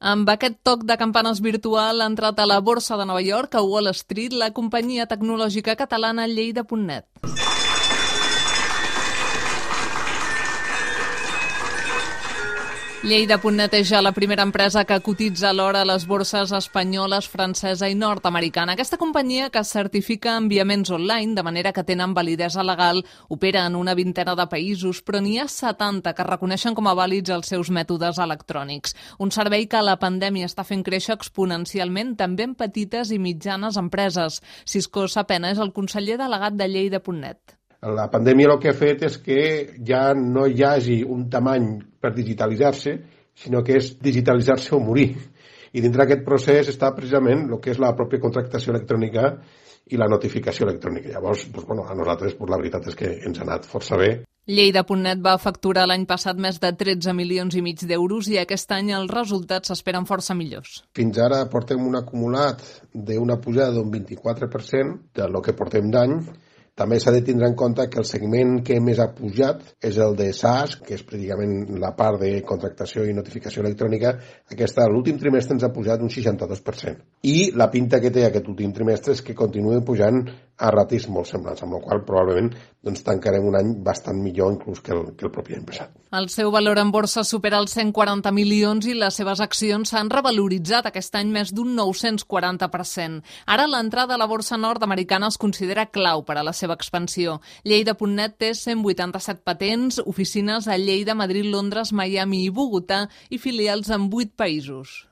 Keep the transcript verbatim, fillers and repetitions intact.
Amb aquest toc de campanes virtual ha entrat a la Borsa de Nova York, a Wall Street, la companyia tecnològica catalana Lleida punt net. Lleida punt net és ja la primera empresa que cotitza alhora a les borses espanyoles, francesa i nord-americana. Aquesta companyia, que certifica enviaments online, de manera que tenen validesa legal, opera en una vintena de països, però n'hi ha setanta que reconeixen com a vàlids els seus mètodes electrònics. Un servei que la pandèmia està fent créixer exponencialment també en petites i mitjanes empreses. Cisco Sapena és el conseller delegat de Lleida punt net. La pandèmia el que ha fet és que ja no hi hagi un tamany per digitalitzar-se, sinó que és digitalitzar-se o morir. I dintre d'aquest procés està precisament el que és la pròpia contractació electrònica i la notificació electrònica. Llavors, doncs, bueno, a nosaltres pues, la veritat és que ens ha anat força bé. Lleida punt net va facturar l'any passat més de tretze milions i mig d'euros i aquest any els resultats s'esperen força millors. Fins ara portem un acumulat d'una pujada d'un vint-i-quatre per cent de lo que portem d'any. També s'ha de tindre en compte que el segment que més ha pujat és el de SaaS, que és pràcticament la part de contractació i notificació electrònica. Aquesta, l'últim trimestre ens ha pujat un seixanta-dos per cent. I la pinta que té aquest últim trimestre és que continuen pujant a ratis molt semblants, amb la qual probablement doncs, tancarem un any bastant millor inclús que el, que el propi any passat. El seu valor en borsa supera els cent quaranta milions i les seves accions s'han revaloritzat aquest any més d'un nou-cents quaranta per cent. Ara l'entrada a la borsa nord-americana es considera clau per a la seva expansió. Lleida punt net té cent vuitanta-set patents, oficines a Lleida, Madrid, Londres, Miami i Bogotà i filials en vuit països.